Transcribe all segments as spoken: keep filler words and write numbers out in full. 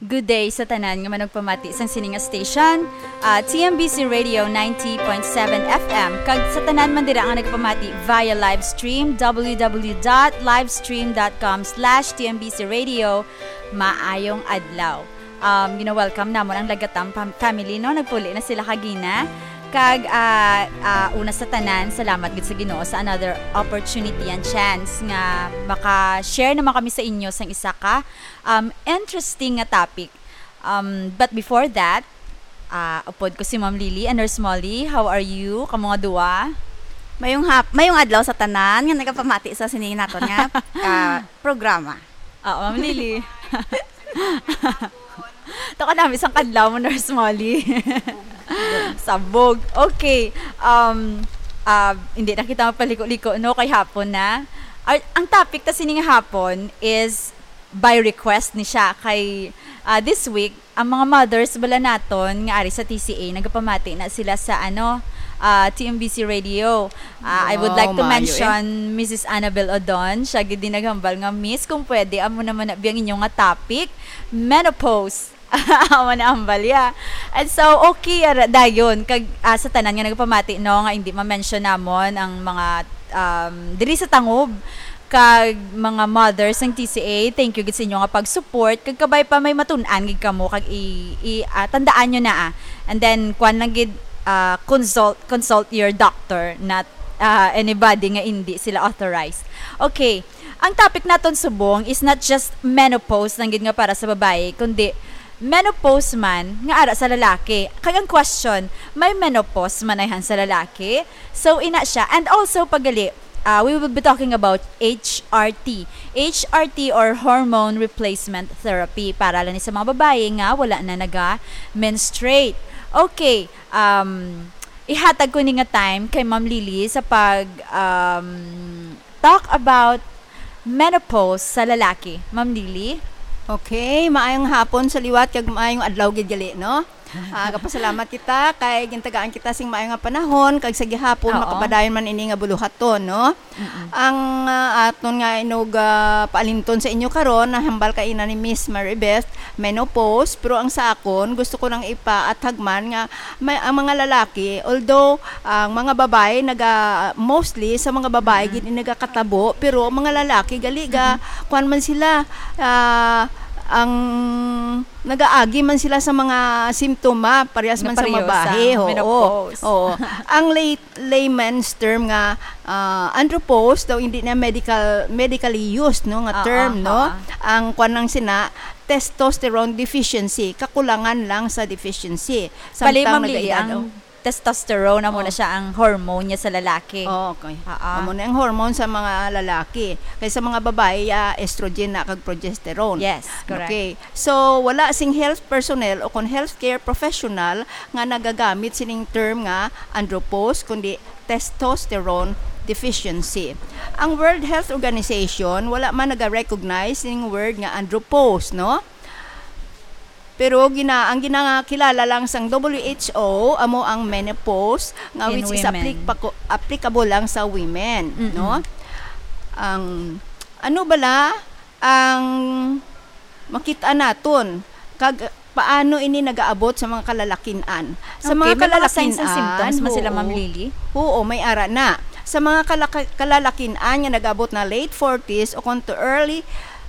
Good day sa tanan nga manugpamati sang sini nga station, ah, T M B C Radio ninety point seven F M, kag sa tanan man dira nga nagpamati via live stream, w w w dot livestream dot com slash T M B C Radio. Maayong adlaw. Um, gina-welcome namon ang Lagatam fam-, family, no? Nagpuli na sila kagina. Kag, ah, ah, una sa tanan, salamat gid sa Ginoo sa another opportunity and chance nga maka-share naman kami sa inyo sang isa ka, um, interesting nga topic. Um, but before that, ah, upod ko si Ma'am Lily and Nurse Molly. How are you? Kamo nga duwa? Mayong hap-, mayong adlaw sa tanan nga nagapamati sa sini naton nga, ah, programa. Oo, Ma'am Lily. To ka namin sang kadlaw mo, Nurse Molly. Sabog. Okay. Um, ah, hindi na kita mapaliko-liko, no? Kay hapon na. Ar-, ang topic ta sini nga hapon is by request ni siya kay, ah, this week, ang mga mothers bala naton nga ari sa T C A, nagapamati na sila sa, ano, ah, T M B C Radio. Ah, I would Wow, like to maayo, eh. mention Missus Annabel Odon. Siya gid din naghambal nga, "Miss, kung pwede, amo naman na biyang inyo nga topic, menopause." Amo na ang balya. And so, okay, ara, dayon. Kag, ah, sa tanan nga nagapamati, no, nga hindi ma-mention namon ang mga, um, diri sa tangob, kag mga mothers ng T C A, thank you gid sa inyo nga pag-support. Kag kabay pa may matun-an gid kamo, kag i, i, ah, tandaan nyo na, ah. And then, kwan lang gid, ah, consult, consult your doctor, not, ah, anybody nga hindi sila authorized. Okay, ang topic naton subong is not just menopause lang gid nga para sa babayi, kundi menopause man nga ara sa lalaki. Kag ang question, may menopause man ayhan sa lalaki? So, ina siya. And also, pagali, ah, we will be talking about H R T. H R T or hormone replacement therapy. Para lang ni sa mga babayi nga wala na naga-menstruate. Okay, um, ihatag ko ni nga time kay Ma'am Lily sa pag, um, talk about menopause sa lalaki. Ma'am Lily? Okay, maayong hapon sa liwat kag maayong adlaw gid gali, no? Ah, gapasalamat kita kay gintagaan kita sing maayo nga panahon kag sa gihapon Oo. makapadayon man ini nga buluhaton, no? Mm-mm. Ang, ah, aton nga inog, ah, paalinton sa inyo karon, nahambal kaina ni Miss Maribeth, menopause, pero ang sa akon, gusto ko lang ipaathag man nga may, ang mga lalaki, although ang mga babae naga-, mostly sa mga babae Mm. gid ni nagakatabo, pero ang mga lalaki gali ga, Mm-mm. kuwan man sila, ah, ang nagaagi man sila sa mga simptoma, parehas Nga man sa pareho sa babae. Oo. menopause. Oo. Ang lay-, layman's term nga, ah, andropause, daw hindi na medical, medically used, no, nga Oo, term, no? oo. Ang kwan lang sina, testosterone deficiency, kakulangan lang sa deficiency. Bali, Samtang Ma'am Lily, nagaedad, ang oh. testosterone, amo na Oh. siya ang hormone niya sa lalaki. Oh, okay. Ah, ah. Amo na ang hormone sa mga lalaki. Kay sa mga babae, ah, estrogen na kag progesterone. Yes, correct. Okay. So, wala sing health personnel o kon healthcare professional nga nagagamit sining term nga andropause, kundi testosterone deficiency. Ang World Health Organization wala man naga-recognize ning word nga andropause, no? Pero gina-, ang ginakilala lang sang W H O amo ang menopause, nga In which is women. applic-, applicable lang sa women, Mm-mm. no? Ang, ano bala ang makita naton, kag paano ini nagaabot sa mga kalalakin-an? Sa Okay, mga may mga signs and kalalakin-an, symptoms man sila, Ma'am oo. Lily? Oo, may ara na. Sa mga kalaka-, kalalakin-an nga nag-abot na late forties o kung to early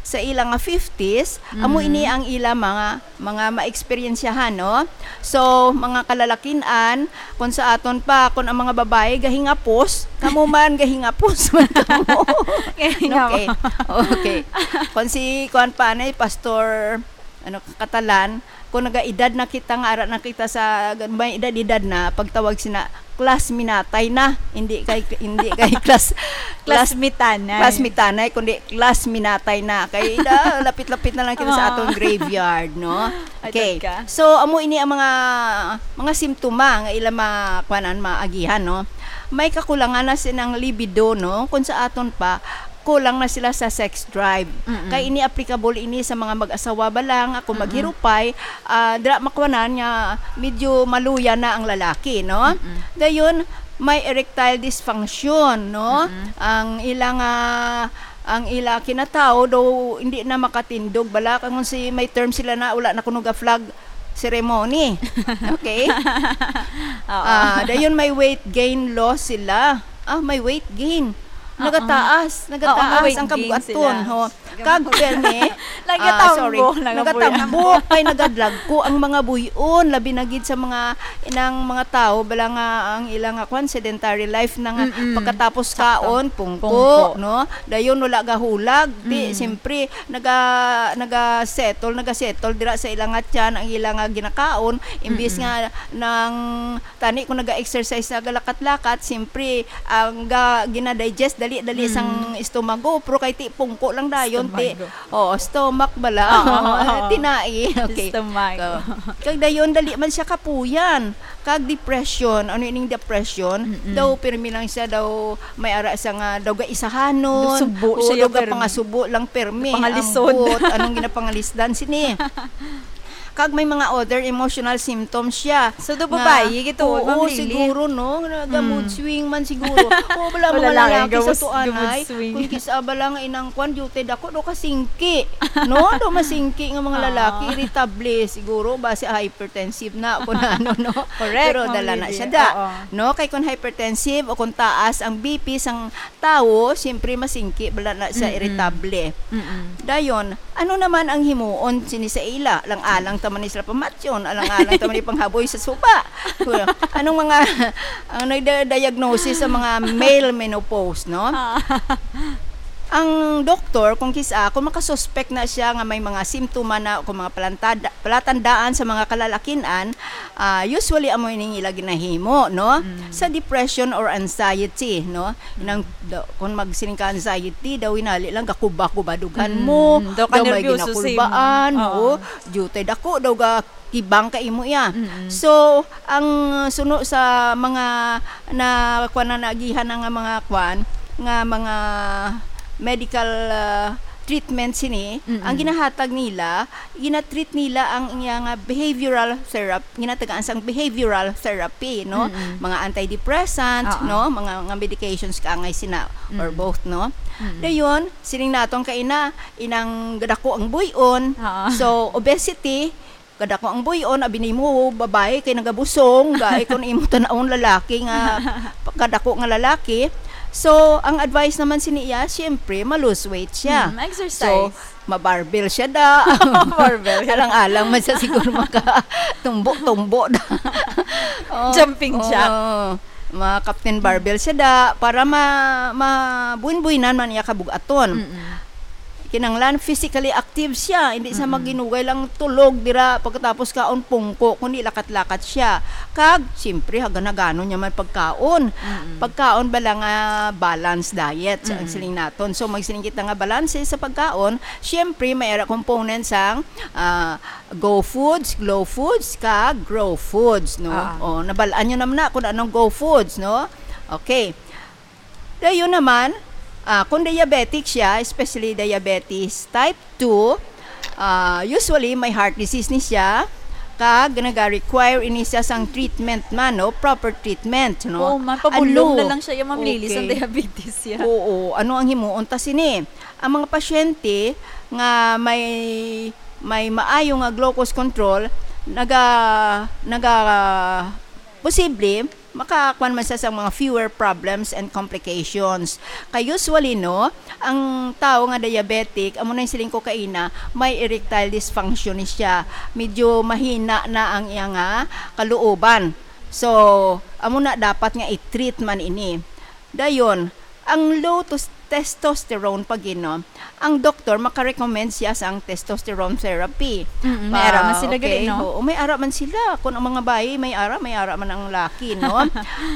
sa ila nga fifties, amo Mm. ini ang ila mga, mga maeksperiensyahan, no? So, mga kalalakin-an, kung sa aton pa, kung ang mga babae gahingapos, kamo man gahingapos man kamo. Gahingapos. Okay. Okay. Kung si, kuwan pa, ano, Pastor, ano, Katalan, kung nagaedad na kita nga ara na kita sa may edad-edad na, pagtawag sina, class minatay na. Hindi kay, hindi kay class, class, Class mitanay. class mitanay, kundi class minatay na. Kay da, lapit-lapit na lang kita sa Oo. atong graveyard, no? Ay, Okay. tagka. So, amo ini ang mga, mga simptoma nga ila ma-, kuanan, maagihan, no? May kakulangan na sinang libido, no? Kung sa aton pa, kulang na sila sa sex drive. Mm-mm. Kay ini applicable ini sa mga mag-asawa ba lang, kung Mm-mm. maghirupay, ah, dira makuanan nga medyo maluya na ang lalaki, no? Mm-mm. Dayon, may erectile dysfunction, no? Mm-mm. Ang ilang, ah, ang ila kinatawo daw hindi na makatindog bala, kung si may term sila na wala na kuno ga flag ceremony. Okay? Oo. Ah, dayon may weight gain loss sila. Ah, may weight gain. Oo. Nagataas, Oo, nagataas may weight ang gain kabugaton, sila. Ho. Kag permi, Nagatambo, ah, sorry, nagabuya. nagatambo kay nagadlagko ang mga buy-on, labi na gid sa mga inang mga tawo bala nga ang ilang nga kwan, sedentary life na nga Mm-mm. pagkatapos Sakto. kaon pungko, Pungko. No? Dayon wala gahulag, di Mm. siyempre naga naga-settle, naga-settle dira sa ilang nga tiyan ang ilang nga ginakaon, imbis Mm-mm. nga nang tani kung naga-exercise, nagalakat-lakat, siyempre ang ga, gina-digest dali-dali Mm. sang estomago, pero kay ti pungko lang dayon ti Estomago. Oo, stomach bala. Oo, oo, oo. Tinai. Okay. Stomach. So, kag dayon dali man siya kapuyan. Kag depression, ano ining depression? Mm-mm. Daw pirmi lang siya daw may ara siya nga daw gaisahanon. Subo Oo, siya daw pirmi. Pangasubo lang pirmi. Pangalisod. Ang buot, anong ginapangalisdan sini? Kag may mga other emotional symptoms siya. So, do Nga, babayi gito, oo, Ma'am Lily? Siguro, no? Nga mood Mm. swing man siguro. Oo, bala O, mga lalaki, lalaki sa gamus-, tuanay. mood swing. Kung kisa bala nga inang kwan, duty dako, do kasingki. No? Do masingki nga mga Ah. lalaki, irritable. Siguro, basi hypertensive na, kung ano, no? Correct, Pero Ma'am dala na Lily. siya da. Oo. No? Kay kung hypertensive o kung taas ang B P sang tawo, siyempre masingki, bala na siya Mm-mm. irritable. Mm-mm. Dayon, ano naman ang himuon sini sa ila? Alang-alang ta man ni sila pamatyon, alang-alang ta man ni panghaboy sa suba. Anong mga, ang nagda-diagnosis sa mga male menopause, no? Ah. Ang doktor, kung kisa, kung makasuspek na siya nga may mga simptoma na o kung mga palantada, palatandaan sa mga kalalakin-an, ah, usually amo ining ila ginahimo, no? Mm. Sa depression or anxiety, no? Nang, da, kung magsiling ka anxiety, daw inali lang gakuba-kuba dughan mo, Mm, daw ka daw may nervyoso sa imo. ginakulbaan, Oo. oo, dute dako daw ga kibang ka imo iya. Mm-mm. So, ang suno sa mga na kuan na naagihan na nga mga kuan, nga mga medical, ah, treatment sini, Mm-mm. ang ginahatag nila, ginatreat nila ang iya nga behavioral therapy, ginatagaan sang behavioral therapy, no? Mm-mm. Mga antidepressant, Oo. no? Mga, nga medications kaangay sina or Mm. both, no? Mm-mm. Dayon, sining naton kay ina, inang gadako ang buy-on. Oo. So, obesity, gadako ang buy-on, abi nimo babae kay nagabusong, gaay kung imo tan-awon lalaki nga kadako nga lalaki. So, ang advice naman sini iya, siyempre, ma-lose weight siya. Mm, exercise. So, ma-barbell siya da. Barbell. Alang-alang man siya siguro maka tumbo-tumbo da. Oh, Jumping oh, jack. Ma Captain Barbell siya da para ma mabuin-buinan man iya kabugaton. Mm-mm. Kinanglan physically active siya, hindi sa Mm-mm. maginugay lang tulog dira pagkatapos kaon pungko, kundi lakat-lakat siya. Kag siyempre haganagano niya man pagkaon. Mm-mm. Pagkaon ba lang nga balance diet ang Mm-mm. siling naton. So magsiling kita nga balance sa pagkaon, siyempre may ara components ang ah, Go Foods, Glow Foods, kag Grow Foods, no? Ah. Oh, nabalaan nyo naman na kung anong Go Foods, no? Okay. Dayon naman, ah, kung diabetic siya, especially diabetes type two, ah, usually may heart disease ni siya, kag naga-require ini siya sang treatment man, no? Proper treatment, no? Oh, mapabulong Ano? na lang siya, yung Ma'am Lily, sa Okay. diabetes siya. Oo, ano ang himuon ta sini? Ang mga pasyente nga may, may maayo nga glucose control, naga, naga, posible, makakuan man siya sa mga fewer problems and complications. Kay usually, no, ang tao nga diabetic, amo na yung siling ko kaina, may erectile dysfunction ni siya. Medyo mahina na ang iya nga kaluoban. So, amo na dapat nga i-treat man ini. Dayon, ang low tos-, testosterone pag no, ang doktor makarecommend siya sang testosterone therapy. Mm, may ara man sila okay, gali, no? Oo, may ara man sila. Kung ang mga bayi, may ara, may ara man ang laki, no?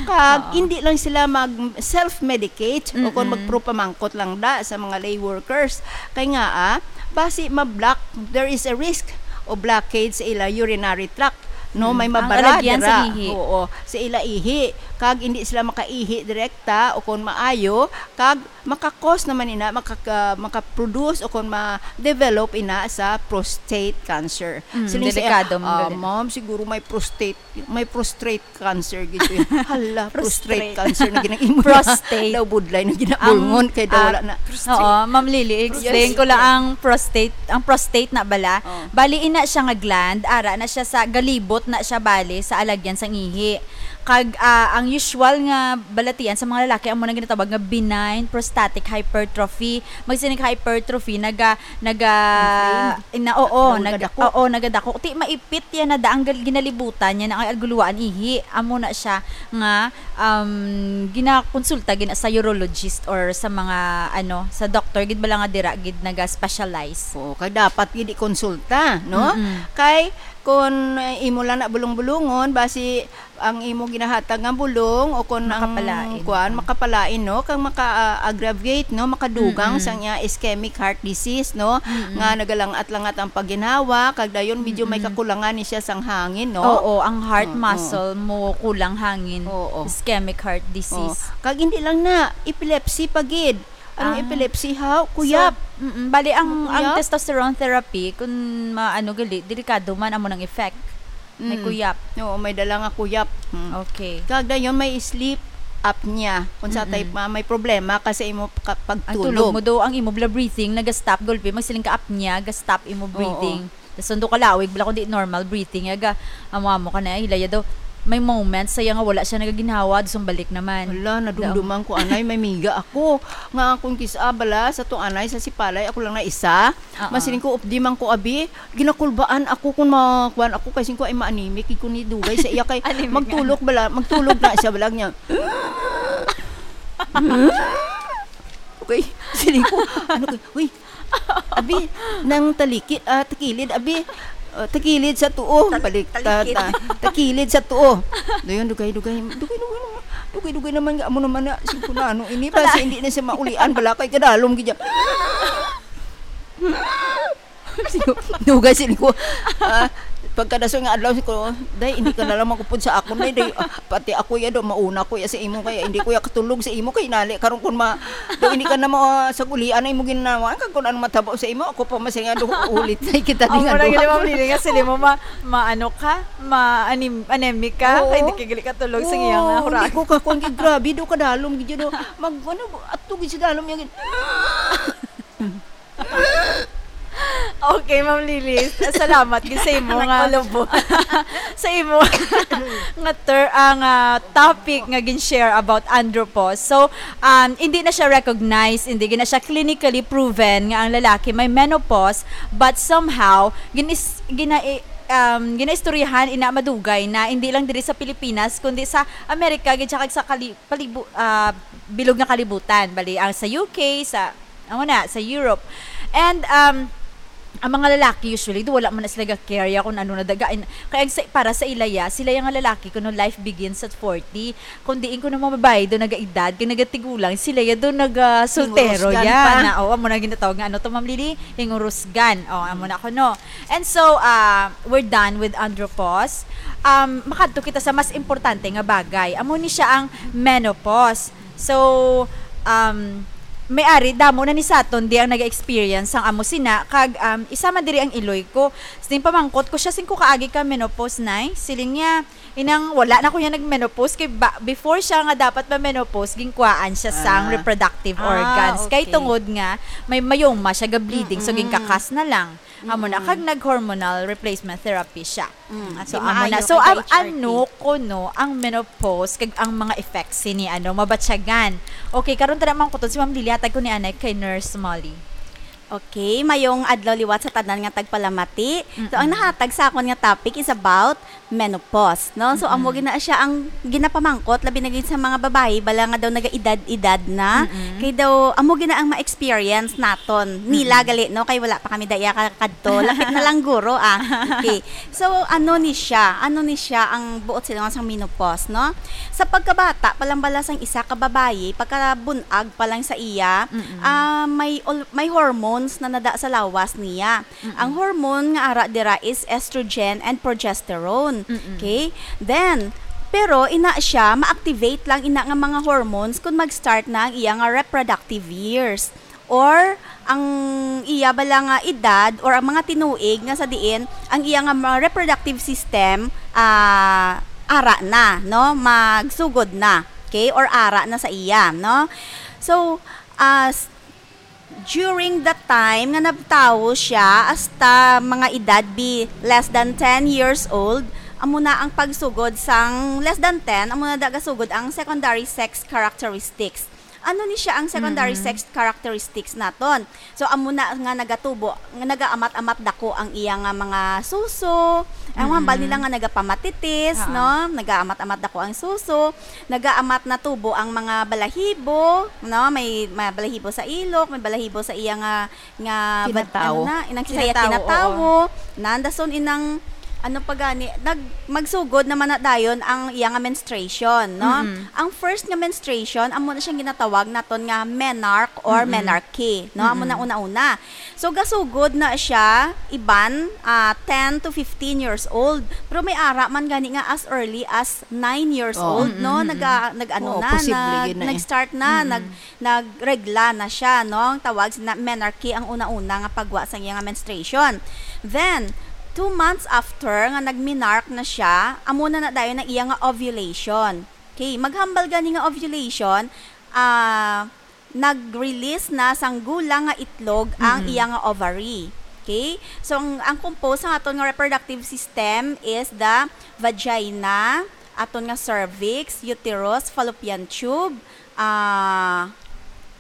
Kag Oo. hindi lang sila mag self-medicate o kung Mm-mm. magpropamangkot lang da sa mga lay workers. Kay nga, ah, basi ma-block, there is a risk o blockade sa ila urinary tract. No, may mabara dira. Ang alagyan sa ihi. Oo, sa ila ihi. Kag hindi sila makaihi direkta o kon maayo, kag makakos naman ina, makaka-, makaproduce o kon ma-develop ina sa prostate cancer. Mm, siling sa iya, delikado man "Ah, gali. Ma'am, siguro may prostate, may prostate cancer gid ko." Hala, prostate cancer na ginang-imo niya. Prostate. Daw budlay na ginabulngon kay daw wala na. Oo, Ma'am Lily, explain ko lang ang prostate. Ang prostate na bala. Oh. Bali, ina siya nga gland, ara na siya sa, galibot na siya bali sa alagyan sang ihi. Kag, ah, ang usual nga balatian sa mga lalaki amo na ginatawag nga benign prostatic hypertrophy. Magsinig hypertrophy, naga-, naga-, Inflamed? ina-, oo, Nagadako? Oo, nagadako. Ti maipit yan na daang gal-, ginalibutan niya na ang guluan ihi. Amo na siya nga, um, ginakonsulta gina sa urologist or sa mga, ano, sa doctor gid bala nga dira gid naga-specialize. Oo, kay dapat gid ikonsulta, no? Mm-mm. Kay kun, eh, imo lang na bulong-bulungon, basi ang imo ginahatag nga bulong o kun ang Makapalain. Kuan, makapalain, no? Kag maka-, ah, aggravate, no? Makadugang Mm-mm. sang iya ischemic heart disease, no? Mm-mm. Nga nagalangat-langat ang pagginhawa, kag dayon medyo may Mm-mm. kakulangan ni siya sang hangin, no? Oo, ang heart Oo. muscle mo kulang hangin. Oo. Ischemic heart Oo. disease. Kag hindi lang na, epilepsy pa gid. Anong Ah. epilepsy, ha? Kuyap. So, mm-mm. Bali, ang, ang Kuyap? testosterone therapy, kung maano gali, delikado man amo nang effect. May Mm. kuyap. Oo, may dala nga kuyap. Mm. Okay. Kag dayon may sleep apnea. Kung sa Mm-mm. type ma-, may problema ka sa imo ka-, Ang tulog pagtulog. mo do, ang imo bla breathing, naga-stop, gulpi, magsiling ka apnea, ga-stop imo Oo. breathing. Tas sundo ka lawig, bala kundi normal breathing, yaga, amo-amo ka na, hilaya daw. May moments, saya nga wala siya nagaginhawa, dus ang balik naman. Hala, nadumduman ko, anay, may miga ako. Nga akong kis-a, bala, sa to, anay, sa sipalay, ako lang na isa. Oo. Masiling ko, updi man ko, abi, ginakulbaan ako kung ma-, kuwan ako, kay singko ay ma-anemic, iko ni dugay sa iya kay Anemic nga magtulog bala, magtulog na siya, balag niya. Okay, siling ko, ano ko, uy, abi, nang talikid, ah, takilid, abi, ah, takilid sa tuo, Tal-, balik, ta-, talikid. ta-, takilid sa tuo. Dayon, dugay, dugay, dugay, dugay naman, dugay, dugay naman nga, amo naman na, singko na, ano, ini, Wala. basi hindi na siya maulian, bala kay kadalom gid. Dugay, sini ko, ah, pagkadason nga adlaw, sini ko, "Day, hindi ka na lang magupod sa akon, day, day, ah, pati ako ya do, mauna ko ya sa imo, kaya hindi ko ya katulog sa imo, kay nali, karon kun ma-, do, hindi ka na mo, ah, sa gulian na imo ginawa, kag kun ano matabo sa imo, ako pa masaya do, ulit na kita Ang di nga mura do." gini, Ma'am Lily, nga sila mo ma-, maano ka, ma-anem-, anemic ka, Oo. kay hindi ka gali katulog sa Oo, iyang, ah, hindi hurag. ko kakon, kay grabe do, kadalom, gid do, mag, ano, ato gid sa dalom, yung, Okay, Ma'am Lily, salamat gid sa imo nga, Nagpalubot. sa imo nga ter-, ang, ah, topic nga gin-share about andropause. So, um, hindi na siya recognized, hindi na siya clinically proven nga ang lalaki may menopause, but somehow ginis-, gina-, um, ginaistoryahan ina madugay na hindi lang diri sa Pilipinas kundi sa Amerika gid siya kag sa kali-, palibu-, ah, bilog nga kalibutan. Bali, ang sa U K, sa Amo na, sa Europe. And, um, ang mga lalaki usually, do, wala man na sila ga-care ya kung ano na daga. In-, kaya ang sa, para sa ila ya, sila ya nga lalaki, kuno life begins at forty. Kung diin kuno mga babae do nagaedad, kay nagatigulang, sila ya do naga-soltero Hingurusgan ya pa. na, oh, amo na ginatawag nga, ano to, Ma'am Lily? Hingurusgan. Oh, amo na kuno. And so, ah, we're done with andropause. Um, makadto kita sa mas importante nga bagay. Amo ni siya ang menopause. So, um, may ari, damo na ni saton di ang naga-experience sang amo sina, kag, um, isa man diri ang iloy ko. Sining pamangkot ko siya, "Singko kaagi ka menopause, nay?" Siling niya, inang wala na ko niya nag-menopause, kay ba, before siya nga dapat ma-menopause, ginkuhaan siya sang Ah. reproductive Ah, organs. Kay okay. tungod nga, may myoma siya, ga-bleeding, so Mm-mm. ginkakas na lang. Amo na, Mm-mm. kag nag-hormonal replacement therapy siya. Mm, So, di amo na. maayo So, kay ang H R T. ano kuno ang menopause kag ang mga effects sini, ano, mabatyagan? Okay, karon tara mangkuton si Ma'am Lily, hatag ko ni anay kay Nurse Molly. Okay, mayong adlaw liwat sa tanan nga tagpalamati. So, ang Mm-mm. nahatag sa akon nga topic is about menopause, no? So, amo Mm-mm. gina siya ang ginapamangkot, labi na gid sa mga babayi, bala nga daw nagaedad-edad na. Mm-mm. Kay daw, amo gina ang ma-experience naton. Nila Mm-mm. gali, no? Kay wala pa kami daya ka-, kadto. Lapit na lang guro, ah. Okay. So, ano ni siya? Ano ni siya ang buot silingon sang menopause, no? Sa pagkabata, pa lang bala sang isa ka babayi, pagkabun-ag pa lang sa iya, Mm-mm. ah, may ol-, may hormone hormones na nada sa lawas niya. Mm-mm. Ang hormone nga ara dira is estrogen and progesterone. Mm-mm. Okay? Then, pero ina siya, ma-activate lang ina nga mga hormones kung mag-start na ang iya nga reproductive years. Or ang iya bala nga edad or ang mga tinuig nga sa diin ang iya nga mga reproductive system, ah, ara na, no? Magsugod na, okay? Or ara na sa iya, no? So, as during the time nga nagtawo siya, hasta mga edad be less than ten years old, amo na ang pagsugod sang less than ten, amo na da gasugod ang secondary sex characteristics. Ano ni siya ang secondary Mm-mm. sex characteristics naton? So, amo na nga nagatubo, nga nagaamat-amat dako ang iya nga mga suso. Ang hambal Mm-mm. nila nga nagapamatitis, Ah. no? Nagaamat-amat dako ang suso. Nagaamat na tubo ang mga balahibo, no? May, may balahibo sa ilok, may balahibo sa iya nga, nga bad-, Kinatawo. ano na, inang sa iya Kinatawo, kinatawo. Nandason inang, ano pa gani, nag-, magsugod naman na dayon ang iya nga menstruation, no? Mm-mm. Ang first nga menstruation, amo na siyang ginatawag naton nga menarche or Mm-mm. menarche, no? Amo na Mm-mm. una-una. So, gasugod na siya, iban, ah, ten to fifteen years old. Pero may ara man gani nga as early as nine years Oh. old, no? Mm-mm, mm-mm. Naga-, nag-ano Oo, na, posible nag-, yun na eh. nag-start na, Mm-mm. nag-, nagregla na siya, no? Ang tawag sa menarche ang una-una nga pagwa sa iya nga menstruation. Then, two months after nga nagmenarche na siya, amo na na dayon ang iya nga ovulation. Okay, maghambal gani nga ovulation, ah, nag-release na sang gulang nga itlog ang Mm-mm. iya nga ovary. Okay? So, ang, ang compose sang aton nga reproductive system is the vagina, aton nga cervix, uterus, fallopian tube, ah,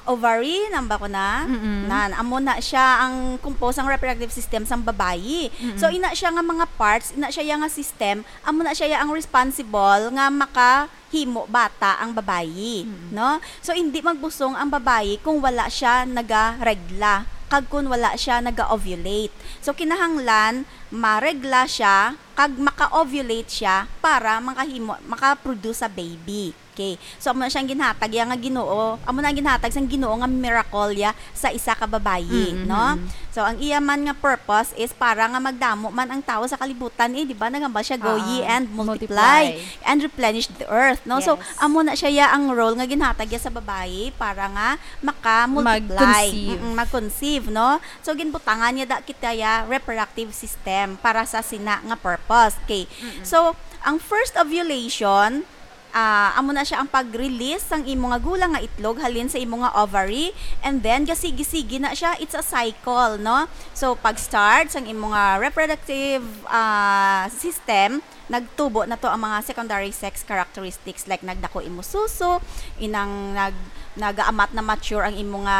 ovary, namba ko na? Mm-mm. Nan, amo na siya ang compose sang reproductive system sang babayi. Mm-mm. So, ina siya nga mga parts, ina siya ya nga system, amo na siya ya ang responsible nga maka himo bata ang babayi, Mm. no? So, hindi magbusong ang babayi kung wala siya nagaregla, kag kung wala siya naga-ovulate. So, kinahanglan maregla siya, kag maka-ovulate siya para makahimo, maka-produce sa baby. Okay. So, amo na siyang ginhatag ya nga Ginoo, amo na ang ginhatag sang Ginoo nga miracle ya sa isa ka babayi, Mm, no? mm, mm. So, ang iya man nga purpose is para nga magdamo man ang tawo sa kalibutan, eh, di ba? Naghambal siya, "Go ye Ah, and multiply, multiply. and replenish the earth," no? So, Yes. amo na siya ya ang role nga ginhatag ya sa babayi para nga maka-multiply. Mag-conceive. Mm, mag-conceive, no? So, ginbutangan niya da kita ya reproductive system para sa sina nga purpose. Okay. Mm-mm. So, ang first ovulation, ah, amo na siya ang pag-release sang imo nga gulang nga itlog halin sa imo nga ovary, and then gasigi-sigi na siya, it's a cycle, no? So, pag-start sang imo nga reproductive, ah, system, nagtubo na to ang mga secondary sex characteristics, like nagdako imo suso, inang nag-, nagaamat na mature ang imo nga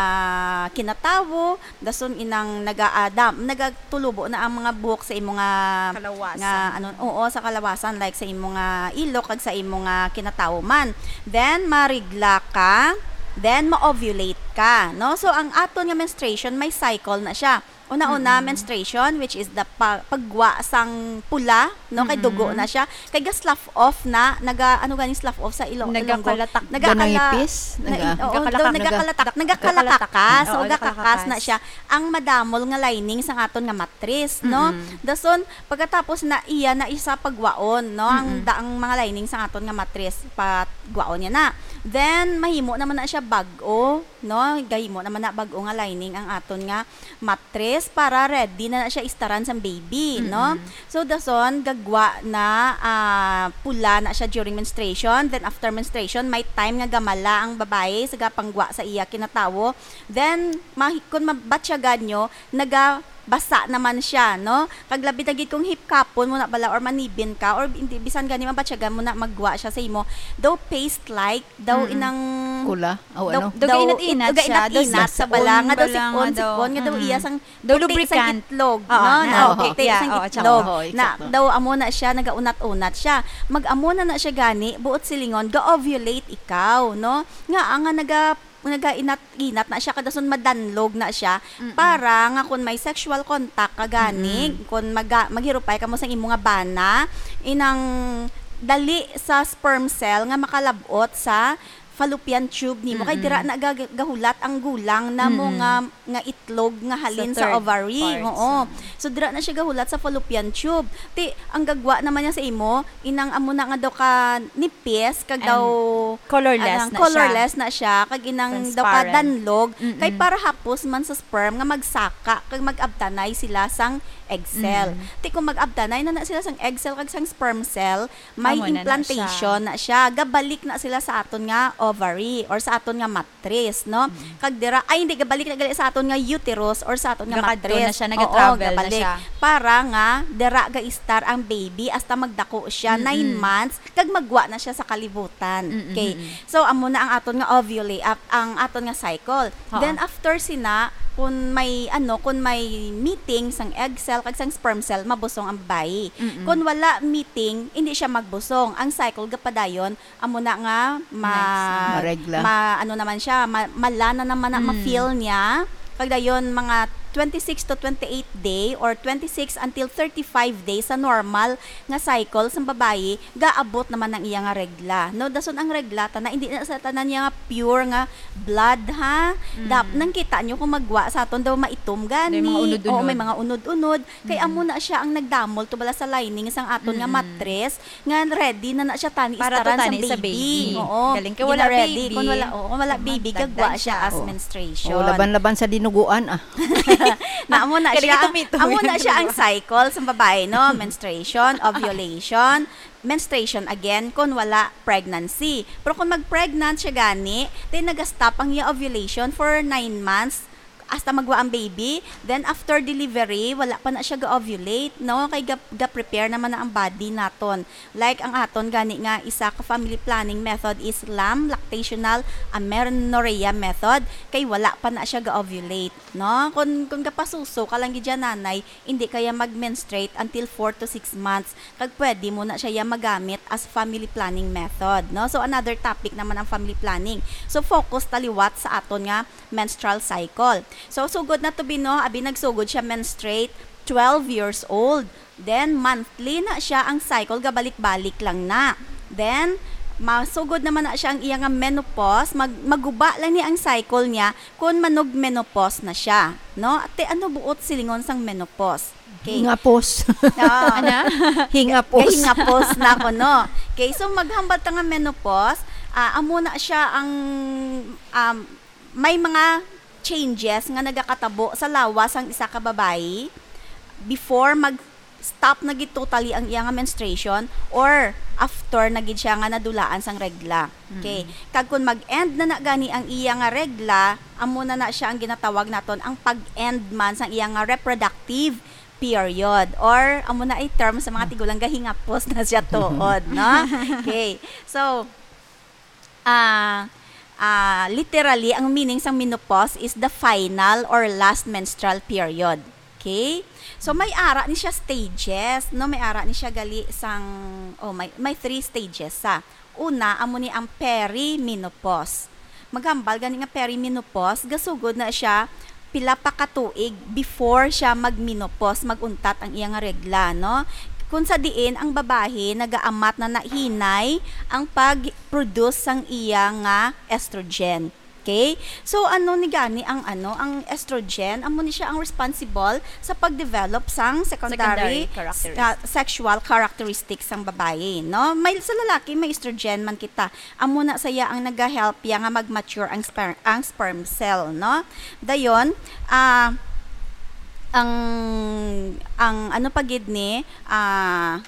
kinatawo, dason inang nagaadam, nagatulubo na ang mga buhok sa imo nga, Kalawasan. nga, ano, oo, sa kalawasan, like sa imo nga ilok kag sa imo nga kinatawo man. Then, marigla ka, then ma-ovulate ka, no? So, ang aton nga menstruation, may cycle na siya. Una-una, Mm-mm. menstruation, which is the pa-, paggwa sang pula, no? Kay dugo Mm-mm. na siya. Kay ga-slough off na, naga-, ano gani slough off sa Ilo-, Ilonggo? Nagakalatak. Nagakala-, Ganang ipis? na-, Naga- oo, Nagakalatak. daw, nagakalatak, Naga-, nagakalatak ka. nagakalakas. So, Oo, gakalakas nagakalakas. na siya. Ang madamol nga lining sang aton nga matris, no? Mm-mm. Dason, pagkatapos na iya na isa pagwaon, no? Ang Mm-mm. da-, ang mga lining sang aton nga matris, pagwaon niya na. Then, mahimo naman na siya bag-o, no? Gahimo naman na bag-o nga lining ang aton nga matris para ready na, na siya istaran sang baby, no? Mm-mm. So, dason, gagwa na, ah, pula na siya during menstruation. Then, after menstruation, may time nga gamala ang babayi sa gapanggwa sa iya kinatawo. Then, mahi-, kung mabatyagan nyo, nagabasa naman siya, no? Kag labi na gid kung hipkapon mo na bala or manibin ka, or hindi, bisan gani mabatyagan mo na maggwa siya sa imo, daw paste-like, daw Mm-mm. inang Kula? Aw, daw, ano? Daw daw, gainat-inat it-, siya, gainat-inat daw sa bala, nga daw sipon, bala nga daw. Sipon-sipon, nga daw Mm-mm. iya sang Daw puti sang lubricant. itlog, Oo, no? na, Na oo. puti Yeah, sang oo, itlog. tsaka. Oo, Na eksakto. daw amo na siya, nagaunat-unat siya. Mag-amo na na siya gani, buot silingon, ga-ovulate ikaw, no? Nga, nga naga-, nagainat-inat na siya, kadason madanlog na siya, Mm-mm. para nga kung may sexual contact ka gani, Mm-mm. kung maga-, maghirupay ka mo sa imo nga bana, inang dali sa sperm cell nga makalab-ot sa fallopian tube nimo, kay Mm-mm. dira na ga-, gahulat ang gulang namo Mm-mm. nga, nga itlog nga halin Sa sa third ovary. parts, Oo. ah. So, dira na siya gahulat sa fallopian tube. Ti, ang gagwa naman niya sa imo, inang amo na nga daw ka nipis, kag And daw, colorless anang na siya. colorless na siya, kag inang daw ka Transparent. danlog, kay Mm-mm. para hapos man sa sperm nga magsaka, kag mag-abtanay sila sang egg cell. Mm. Ti, kung mag-abtanay na na sila sang egg cell, kag sang sperm cell, may Amo na na implantation siya. na siya. Gabalik na sila sa aton nga ovary or sa aton nga matris, no? Mm. Kag dira, ay, hindi, gabalik na gali sa aton nga uterus or sa aton nga Gakadto matris. na siya, Oo, nag-travel na gabalik. siya. Para nga, dira ga-istar ang baby hasta magdako siya, Mm-mm. nine months, kag magwa na siya sa kalibutan. Mm-mm, Okay. mm-mm. So, amo na ang aton nga ovulate, ap-, ang aton nga cycle. Oo. Then, after sina, kung may, ano, kung may meeting sang egg cell kag sang sperm cell, mabusong ang babayi. Mm-mm. Kung wala meeting, hindi siya magbusong. Ang cycle gapadayon, amo na nga ma-, Next na. Maregla. ma-, ano naman siya, ma-, mala na naman na Mm. ma-feel niya. Kag dayon, mga twenty-six to twenty-eight day or twenty-six until thirty-five days sa normal nga cycle sang babayi, gaabot naman ang iya nga regla. No, dason ang regla, tana, hindi na sa tanan niya nga pure nga blood, ha? Mm. Dap-, nang kita nyo kung magwa sa aton daw maitom gani. May mga unod-unod. Oo, may mga unod-unod. Kay Mm. amo na siya ang nagdamol to bala sa lining sang aton nga Mm-mm. matris, nga ready na na siya tani Para to istaran sa tani sa baby. baby. Oo, Galing kay wala gina-ready. baby. Kung wala, oo, kung wala Kung baby, magdagdag gagwa siya siya. as Oo. menstruation. Oh, laban-laban sa dinuguan, ah. Na amo na Galing siya, ito, mito, amo na yung siya ang dinuguan. cycle sa babae, no? Menstruation, ovulation, menstruation again kung wala pregnancy. Pero kung mag-pregnant siya gani, then nag-stop ang iya ovulation for nine months, hasta magwa ang baby, then after delivery, wala pa na siya ga-ovulate, no? Kay ga-, ga-prepare naman na ang body naton. Like ang aton gani nga isa ka family planning method is LAM, lactational amenorrhea method, kay wala pa na siya ga-ovulate, no? Kung, kung gapasuso ka lang gid dyan, nanay, hindi kaya mag-menstruate until four to six months. Kag pwede mo na siya ya magamit as family planning method, no? So, another topic naman ang family planning. So, focus taliwat sa aton nga menstrual cycle. So, sugod na to, Bino, abi nagsugod siya menstruate twelve years old. Then, monthly na siya ang cycle, gabalik-balik lang na. Then, masugod naman na siya ang iya nga menopause, mag-, maguba lang ni ang cycle niya kung manug-menopause na siya, no? Ate, ano buot silingon sang menopause? Okay. Hingapos. Ah. Ana? Hingapos. Hingapos na ko, no? Okay, so maghambal ta nga menopause, ah, amo na siya ang, um, may mga changes nga nagakatabo sa lawas sang isa ka babayi before mag-stop na gid totally ang iya nga menstruation or after na gid siya nga nadulaan sang regla. Okay. Mm. Kag kung mag-end na na gani ang iya nga regla, amo na na siya ang ginatawag naton ang pag-end man sang iya nga reproductive period, or amo na ay term sa mga tigulang, gahingapos na siya tuod, no? Okay. So, ah, ah, literally, ang meaning sang menopause is the final or last menstrual period. Okay? So, may ara ni siya stages, no? May ara ni siya gali sang, oh, may, may three stages sa. Una, amo ni ang perimenopause. Maghambal gani nga perimenopause, gasugod na siya pila pa ka tuig before siya magmenopause, mag-untat ang iya nga regla, no? Kung sa diin ang babayi nagaamat na nahinay ang pag-produce sang iya nga estrogen. Okay? So, ano ni gani ang, ano, ang estrogen? Amo ni siya ang responsible sa pag-develop sang secondary, Secondary characteristics. ah, sexual characteristics sang babayi, no? May, sa lalaki, may estrogen man kita. Amo na saya ang naga-help ya nga mag-mature ang sper-, ang sperm cell, no? Dayon, ah, ang, ang ano pa gid ni, ah,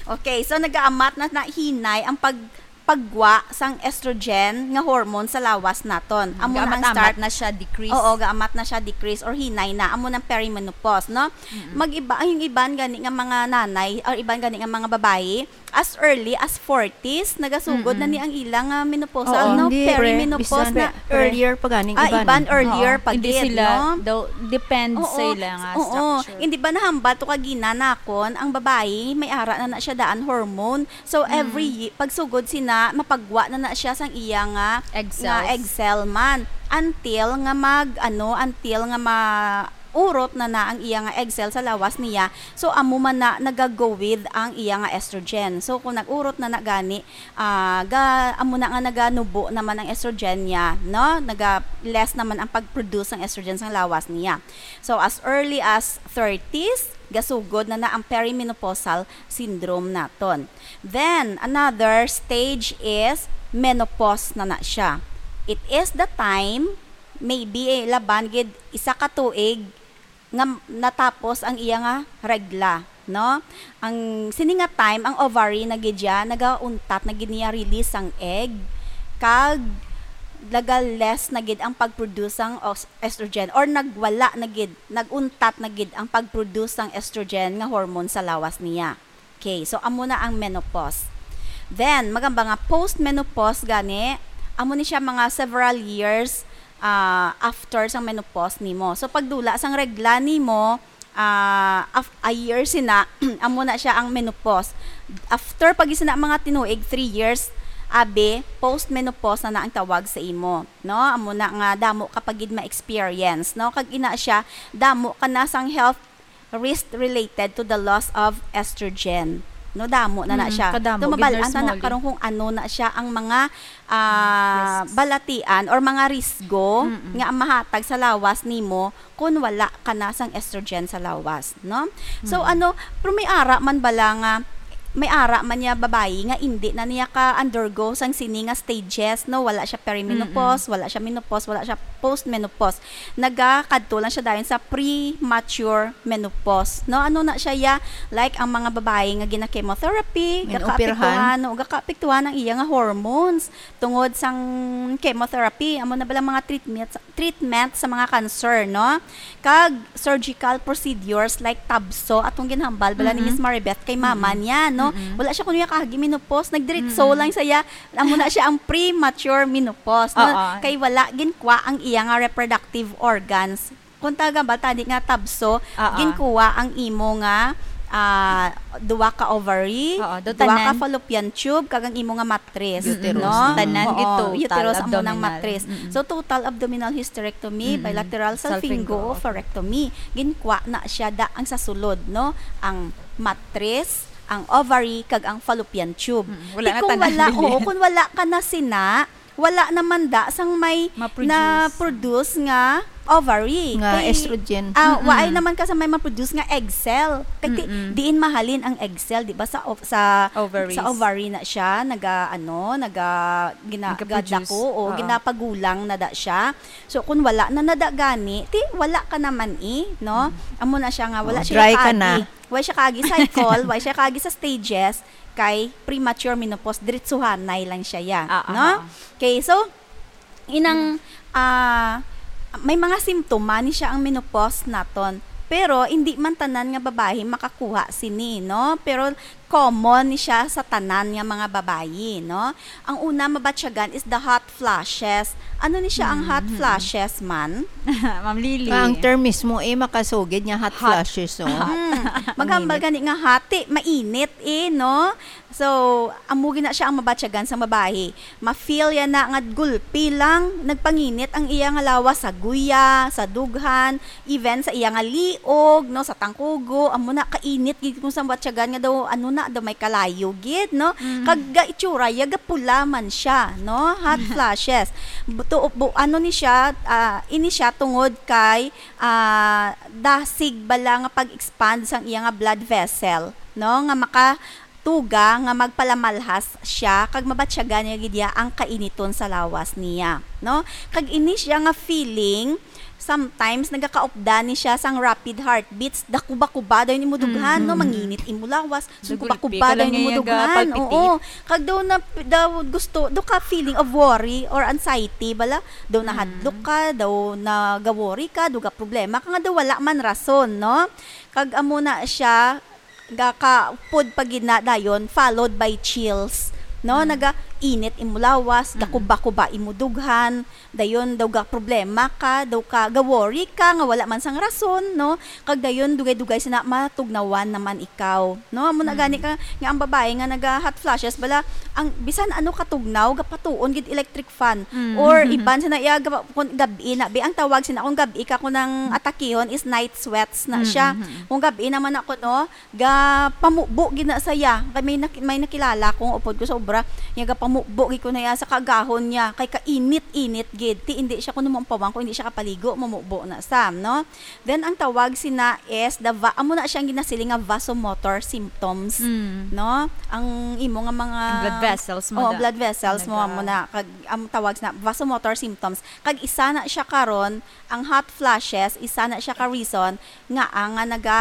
okay, so nagaamat na, nahinay ang pag-, paggwa sang estrogen nga hormone sa lawas naton. Amo na ang Gaamat-amat start. na siya decrease. Oo, gaamat na siya decrease or hinay na. Amo nang perimenopause, no? Mm-mm. Mag-iba, ang iban gani nga mga nanay or iban gani nga mga babayi, as early as forties, nagasugod na Mm-mm. ni ang ilang, ah, menopausal, Oo. no? Hindi, pre. Perimenopause Bisan na. pre. Earlier pa ganing Ah, iban. iban earlier Oo. pa Hindi gid, sila no? daw, depend sa Oo, ila nga oo. structure. Hindi ba nahambal to kagina nakon ang babayi, may ara na na siya daan hormone. So, Mm. every ye-, pagsugod sina, mapagwa na na siya sang iya nga, Egg nga cells. egg cell man. Until nga mag, ano, until nga ma-, urot na na ang iya nga egg cell sa lawas niya. So, amo man na nagago with ang iya nga estrogen. So, kung nag-urot na na gani, ah, ga-, amo na nga naganubo naman ang estrogen niya, no? Naga-less naman ang pag-produce ng estrogen sa lawas niya. So, as early as thirties, gasugod na na ang perimenopausal syndrome naton. Then, another stage is menopause na na siya. It is the time, maybe, eh, laban gid isa ka tuig nga natapos ang iya nga regla, no? Ang sini nga time, ang ovary na gid siya, nagauntat na gid niya release ang egg, kag naga-less na gid ang pag-produce sang os-, estrogen, or nagwala na gid, nag-untat na gid ang pag-produce sang estrogen nga hormone sa lawas niya. Okay, so amo na ang menopause. Then, magamba nga post-menopause gani, amo ni siya mga several years, ah, after sang menopause nimo. So, pagdula sang regla nimo, ah, af-, a year sina, amo na siya ang menopause. After pag sina mga tinuig, three years, abi, post-menopause na na ang tawag sa imo, no? Amo na nga damo ka pa gid ma-experience, no? Kag ina siya, damo ka na sang health risk related to the loss of estrogen. No, damo na na Mm, siya. kadamo, So, gid, mabalaan Nurse ta na Molly. karon kung ano na siya ang mga, ah, Risks. balatian or mga risgo Mm-mm. nga mahatag sa lawas nimo kung wala ka na sang estrogen sa lawas, no? So, Mm. ano, pero may ara man bala nga, may ara man niya babayi nga indi na niya ka-undergo sang sini nga stages, no? Wala siya perimenopause, Mm-mm. wala siya menopause, wala siya postmenopause. Nagakadto lang siya dayon sa premature menopause, no? Ano na siya, ya? Like, ang mga babayi nga gina-chemotherapy, Ginaoperahan. gakaapektuhan, no? Gakaapektuhan ang iya nga hormones tungod sang chemotherapy. Amo na bala mga treatment, treatment sa mga cancer, no? Kag surgical procedures like tabso, atong ginhambal bala ni Mm-mm. Miss Maribeth kay mama Mm-mm. niya, no? Mm-mm. Wala siya kuno ya kaagi menopause, nagdiretso Mm-mm. lang siya, amo na siya ang premature menopause, no? Oo. Kay wala ginkwa ang iya nga reproductive organs. Kung taga ba, tani nga tabso, Ah, ah. ginkuha ang imo nga, ah, duwa ka ovary, Oo, do duwa ka tanan. fallopian tube, kag ang imo nga matris, Uterus. no? Tanan Oo, gid total uterus amo nang abdominal. matris. Mm-mm. So, total abdominal hysterectomy, Mm-mm. bilateral salpingo-oophorectomy. Salpingo-oophorectomy. Ginkuha na siya da ang sa sulod, no? Ang matris, ang ovary, kag ang fallopian tube. Mm, wala Di na kung tanan wala, dili. oo, kung wala ka na sina, wala naman da sang may Ma-produce. na-produce nga ovary. Nga Kay, estrogen. ah, Mm-mm. waay naman ka sa may ma-produce nga egg cell. Kay ti-, Mm-mm. diin mahalin ang egg cell, di ba? Sa ov-, sa, Ovaries. sa ovary na siya, naga, ano, naga, gina-, Nagka-produce. gadako o Oo. ginapagulang na da siya. So, kung wala na nada gani, ti, wala ka naman eh, no? Mm. Amo na siya nga, wala Oh, siya dry ka kaagi. na. Wala siya kaagi cycle, wala siya kaagi sa stages, kay premature menopause, diretsuhanay lang siya, ya, Ah, no? ah, ah. Okay, so, inang, ah, may mga simptoma ni siya ang menopause naton. Pero, hindi man tanan nga babayi makakuha sini, no? Pero, common ni siya sa tanan nga mga babayi, no? Ang una mabatyagan is the hot flashes. Ano ni siya ang hot Mm-hmm. flashes man? Ma'am Lily. Ah, ang term mismo, eh, makasugid nga hot Hot. flashes, oh. Mm. Maghambal Mainit. gani nga hot, ti, mainit, eh, no? So, amo gina siya ang mabatyagan sa babayi. Ma-feel ya na nga gulpi lang, nagpanginit ang iya nga lawas sa guya, sa dughan, even sa iya nga liog, no, sa tangkugo, amo na kainit gid kung sa batyagan nga daw, ano na, daw may kalayo gid, no? Mm. Kag ga itsura, ya gapula man siya, no? Hot flashes. Bu-, tu-, bu-, ano ni siya, ah, ini siya tungod kay, ah, dasig bala nga pag-expand sang iya nga blood vessel, no? Nga maka-, tuga nga magpalamalhas siya kag mabatyagan niya gid iya ang kainiton sa lawas niya, no? Kag ini siya nga feeling, sometimes nagakaupdan ni siya sang rapid heartbeats, dakuba-kuba daw imo dughan, no? Mm-hmm. Manginit imo lawas, so Nagulpi kuba-kuba ka daw lang imo niya dughan. gapalpitate. Oo. Kag daw na, daw gusto, daw ka feeling of worry or anxiety, bala, daw Mm. nahadlok ka, daw nagaworry ka, daw ga problema ka nga daw wala man rason, no? Kag amo na siya, gakaupod pa gid na dayon, followed by chills, no? Mm. Naga-, init imo lawas, Mm. gakuba-kuba imo dughan, dayon daw ga problema ka, daw ka ga worry ka nga wala man sang rason, no? Kag dayon dugay-dugay sina matugnawan naman ikaw, no? Amo na Mm. gani ka nga ang babae nga naga hot flashes bala, ang bisan ano katugnaw gapatuon gid electric fan, Mm. or iban sina iya gapa-, kun gab-i na bi, ang tawag sina kung gab-i ka kun ang atakihon is night sweats na Mm, siya. mm, mm. Kung gab-i naman ako, no, gapamubo gid na saya. Kay may nak-, may nakilala ko nga upod ko sa obra, nga gapamubo gid ko na iya sa kaagahon niya. Kay kainit-init gid. Ti indi siya kuno maumpawan, kung indi siya kapaligo, mamubo na sa, no? Then, ang tawag sina is the va-, amo na siya ang ginasiling nga vasomotor symptoms, Mm. no? Ang imo nga mga Blood vessels mo Oo, da. blood vessels mo, Naga- amo na. Kag, ang tawag sina vasomotor symptoms. Kag isa na siya karon, ang hot flashes, isa na siya ka reason nga ang nga naga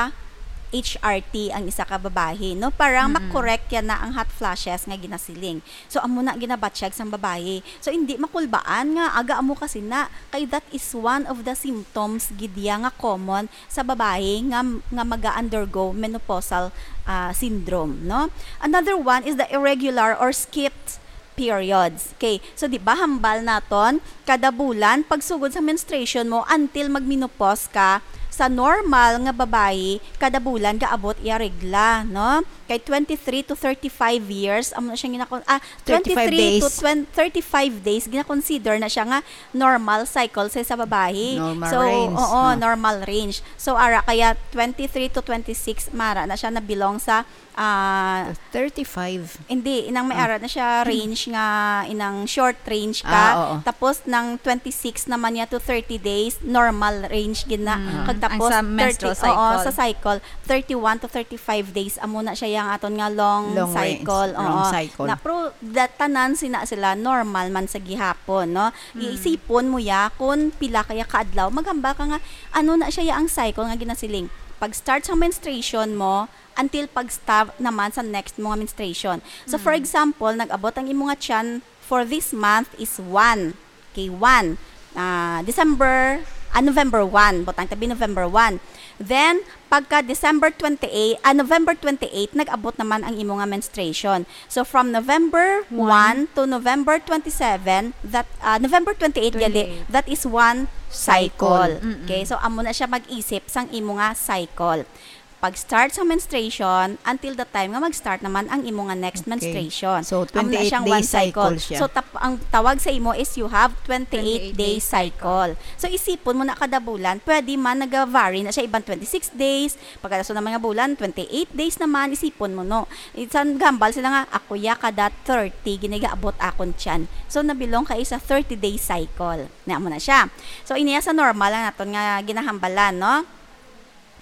H R T ang isa ka babayi, no? Para Mm-mm. ma-correct yan na ang hot flashes nga ginasiling. So, amo na ginabatyag sang babayi. So, hindi makulbaan nga aga amo kasi na, kay that is one of the symptoms gid ya nga common sa babayi nga, nga maga-undergo menopausal, ah, syndrome, no? Another one is the irregular or skipped periods. Okay, so di ba hambal naton, kada bulan, pagsugod sa menstruation mo, until magmenopause ka, sa normal nga babayi, kada bulan gaabot iya regla, no? Kay twenty-three to thirty-five years, amo na siya ginakon-, ah, Thirty-five twenty-three to days. twenty, thirty-five days, ginakonsider na siya nga normal cycle sa, sa babayi. Normal So, range, oo, no? normal range. So, ara, kaya twenty-three to twenty-six, mara na siya na belong sa, ah, Thirty-five. Hindi, inang may Ah. ara na siya range nga, inang short range ka. Ah, oo. Tapos, nang twenty-six naman niya to thirty days, normal range gid na. Mm. Kag Ang tapos, sa menstrual thirty, oo, cycle. sa cycle, thirty-one to thirty-five days, amo na siya yang aton nga long Long range, cycle. long Oo. cycle. Na, pero, da-, tanan sina sila, normal man sa gihapon, no? Mm. Iisipon mo ya kung pila kaya ka adlaw. Maghambal ka nga, ano na siya ya ang cycle nga ginasiling. Pag-start sa menstruation mo, until pag-stop naman sa next mo nga menstruation. So, for Mm. example, nag-abot ang imo nga tiyan for this month is one. Okay, one. Ah, December, ah, November one. Butang tabi November one. Then, pagka December twenty-eight, ah, November twenty-eight, nag-abot naman ang imo nga menstruation. So, from November One. one to November twenty-seven, that, ah, November twenty-eight, gali, Twenty-eight. that is one cycle. Cycle. Mm-mm. Okay, so amo na siya mag-isip sang imo nga cycle. Pag-start sa menstruation until the time nga mag-start naman ang imo nga next Okay. menstruation. So, Amo na twenty-eight siyang day one cycle. cycle siya. So, tap-, ang tawag sa imo is you have twenty-eight Twenty-eight day day cycle. cycle. So, isipon mo na kada bulan, pwede man nag-vary na siya, iban twenty-six days, pagkadaso ng mga bulan, twenty-eight days naman, isipon mo, no? Isan gambal sila nga, ako ya kada thirty, ginigaabot akon tiyan. So, nabilong ka sa thirty day cycle. Na mo na siya. So, iniya sa normal lang naton nga ginahambalan, no?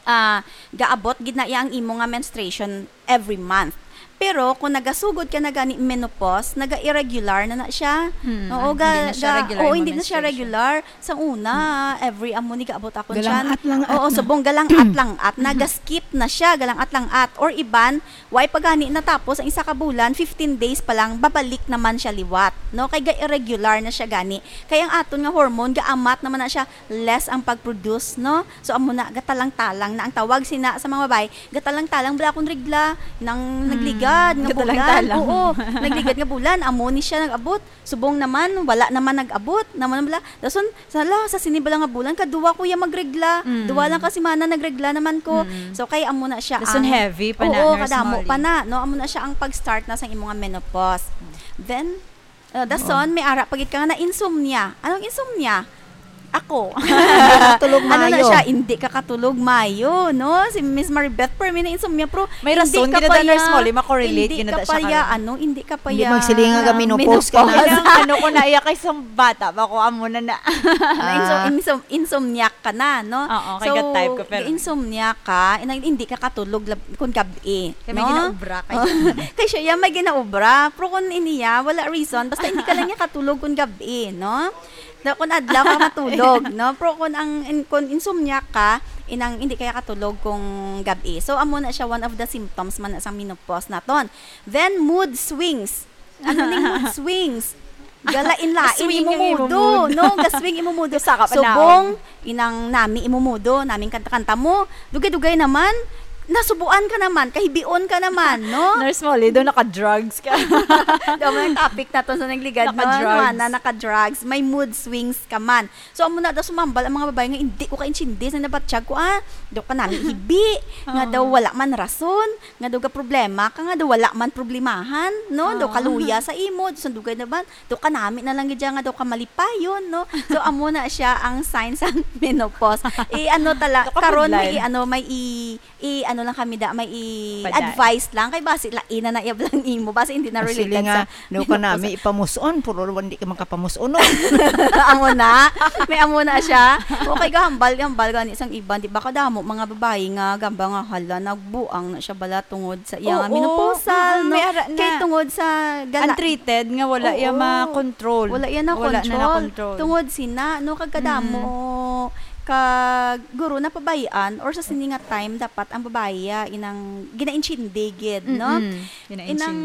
Ah, gaabot gid na iya ang imo nga menstruation every month. Pero kung nagasugod ka na gani menopause, naga-irregular na na siya. Hmm, Oo, hindi ga-, na siya ga-, regular oo, yung hindi na siya menstruation. regular. Sa una, Hmm. every amo ni gaabot ako Galang-at lang at Oo, na. subong galang-at lang at naga-skip na siya, galang-at lang at. Or iban, way pa gani natapos ang isa ka bulan, fifteen days pa lang, babalik naman siya liwat, no? Kay ga-irregular na siya gani. Kay ang aton nga hormone, gaamat naman na siya, less ang pag-produce, no? So, amo na, gatalang-talang na ang tawag sina sa mga babae, gatalang-talang bala akong regla, nang Hmm, nagligad nga bulan. gatalang-talang. Oo, nagligad nga bulan, amo ni siya nag-abot. Subong naman, wala naman nag-abot. Naman bala, dason, sala, sa sini bala nga bulan, kaduwa ko ya magregla. Mm. Duwa lang ka semana nagregla naman ko. Mm. So, kay amo na siya Dason ang heavy pa na, Oo, Nurse kadamo Molly. pa na, no? Amo na siya ang pag-start na sa imo nga menopause. Then, uh, dason, Oo. may ara pa gid ka nga na insomnia. Anong insomnia? Ako. Hindi ka katulog Ano na mayo. siya? Hindi ka katulog mayo, no? Si Miss Maribeth, per mi na insomnia, pero May hindi rason, ka ginada pa Nurse ya, Molly, makorelate, hindi ginada ka siya pa ya, karon. ano, hindi ka pa Hindi ya magsilinga ka, menopause ka na. menopause. Ano, ano ko na iya kay sa bata ba ko amo na na. Ano, insom-, Ah. insom-, insomniac ka na, no? Oo, kay So, gat type ko, pero insomnia ka, inang hindi ka katulog lab-, kung gab-i, Kay may no? ginaobra kayo. Oh. Kay siya, ya, may ginaobra. Pero kung iniya, wala reason. Basta hindi ka lang niya katulog kung gab-i, no? Na kung adlaw ka matulog, no? Pero kung ang, in-, kung insomnia ka, inang hindi kaya katulog kung gab-i. So, amo na siya, one of the symptoms man na sang menopause naton. Then, mood swings. Ano ning mood swings? Galain-lain Swing imo ang imo mudo, mood. no? Gaswing imo mudo. Isa ka pa Subong, naon. inang nami imo mudo, naming kanta-kanta mo. Dugay-dugay naman, nasubuan ka naman, kahibion ka naman, no? Nurse Molly, daw naka-drugs ka. Daw may topic naton sa nagligad, no? Naka-drugs. Ano na, naka-drugs. May mood swings ka man. So, amo na daw sumambal ang mga babae nga, "Hindi ko kaintindi sa nabatyag ko, ah. Daw kanami hibi, nga daw Oo. wala man rason, nga daw ga problema ka, nga daw wala man problemahan, no? Daw Oo. kaluya sa imo, daw sundugay na ba? Daw kanami na lang gid nga daw kamalipayon, no?" So, amo na siya ang sign sa menopause. I-ano tala-, Daw karon may kabudlay. i-ano, may i-, i-ano lang kami da, may Pada. i-advise lang. Kay basi lain na na iyab lang imo. Basi hindi na Actually related nga, sa no ka nami menopause. ipamuson, puro hindi ka makapamuson, no? Amo na. May amo na siya. Okay, gahambal, gahambal gani sang iban. Di ba kadamo mga babae nga gamba nga, "Hala, nagbuang na siya bala tungod sa iya nga Oo. menopausal, Mm, no?" may ara na. Kay tungod sa gala-, Untreated nga wala iya Oo. ma-control. Wala iya na Wala na control. na control. Tungod sina, no, kag kadamo, Mm. kag guro napabayaan or sa sini nga time, dapat ang babayi, ah, inang ginaintindi gid, no? Mm-mm. Ginaintindi. Inang,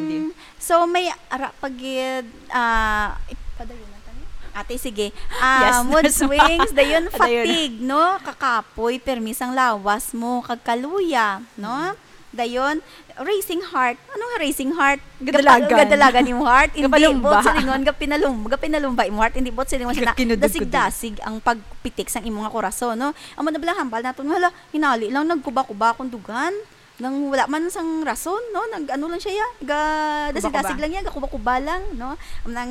so, may ara pa gid, ah, ipadayon na tani? Ate, sige. Ah, Yes, mood nurse. swings, dayon Padayon. fatigue, no? Kakapoy, permi sang lawas mo, kag kaluya, no? Mm. Dayon, racing heart. Ano nga racing heart? Gadalagan. Gapa-, gadalagan yung heart. Hindi, Gapalumba. buot silingon, gapinalum-, gapinalumba yung heart. Hindi, buot silingon siya na Gakinudod-kudod. dasig-dasig ang pagpitik sang imo nga korason, no? Amo na bala hambal naton nga, "Hala, hinali lang, nagkuba-kuba akong dugan. Nang wala man sang rason, no? Nag-ano lang siya, ya, ga-, dasig-dasig Kuba-kuba. lang ya, gakuba-kuba lang, no?" Nang,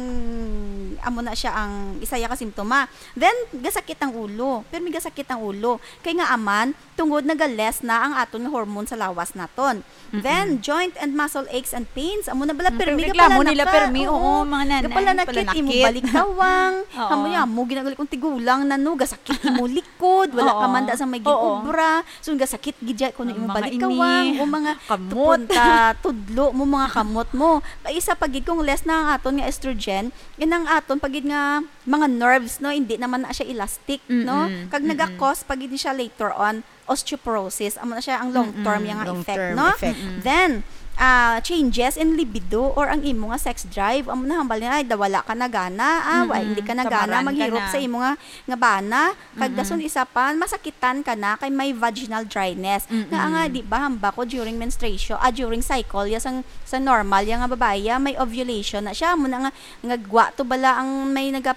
amo na siya ang isa ya ka simptoma. Then, gasakit ang ulo. Pero may gasakit ang ulo. Kay nga aman, tungod naga-less na ang aton nga hormone sa lawas naton. Mm-mm. Then, joint and muscle aches and pains. Amo na bala, Mm, permi pero ka reklamo pala nila, naka-, permi, oo, oo, mga nanay, gapalanakit, imo palanakit. balikawang. Oo. Amo ya, amo ginagali kong tigulang na, no, gasakit imo likod, wala ka Oo. man da sa may Oo. gin-obra. So, gasakit gid ya kuno Ang imo mga balikawang, ini, o mga kamot. tupon ka, tudlo mo, mga kamot mo. Pa isa pa gid kung less na ang aton nga estrogen, inang aton pa gid nga mga nerves, no, hindi naman na siya elastic, no? Mm-mm. Kag Mm-mm. naga-cause pa gid siya later on osteoporosis. Amo na siya ang long term Mm-mm. yang Long effect, term no? effect. Mm-mm. Then, ah, changes in libido or ang imo nga sex drive. Amo na hambal niya, ay, da-, wala ka na gana, ah, wa-, Mm-mm. hindi ka na gana Kamaran ka maghirup na. sa imo nga, nga bana. Kag Mm-mm. dason isa pa, masakitan ka na kay may vaginal dryness. Mm-mm. Nga nga, di ba, hamba ko during menstruation, ah, during cycle, ya sang, sa normal, ya nga babayi, ya may ovulation na siya. Amo na nga, nga gwa to bala ang may naga-,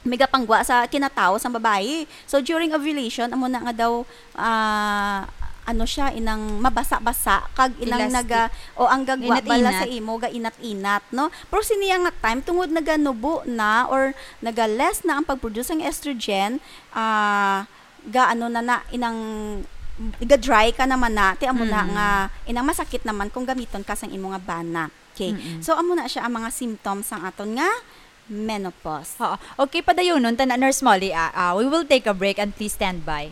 may gapanggwa sa kinatawo sang babayi. So, during ovulation, amo na nga daw, ah, ano siya, inang mabasa-basa, kag inang Elastic. naga-, o ang gagwa bala sa Inat-inat. imo, ga-inat-inat, no? Pero sini nga time, tungod naganubo na or naga-less na ang pag-produce sang estrogen, ah, ga-ano na na, inang, ga-dry ka naman na, ti amo na Mm. nga, inang masakit naman kung gamiton ka sang imo nga bana. Okay. Mm-mm. So, amo na siya ang mga symptoms sang aton nga menopause. Oo. Okay, padayunon ta na, Nurse Molly, ah, ah, we will take a break and please stand by.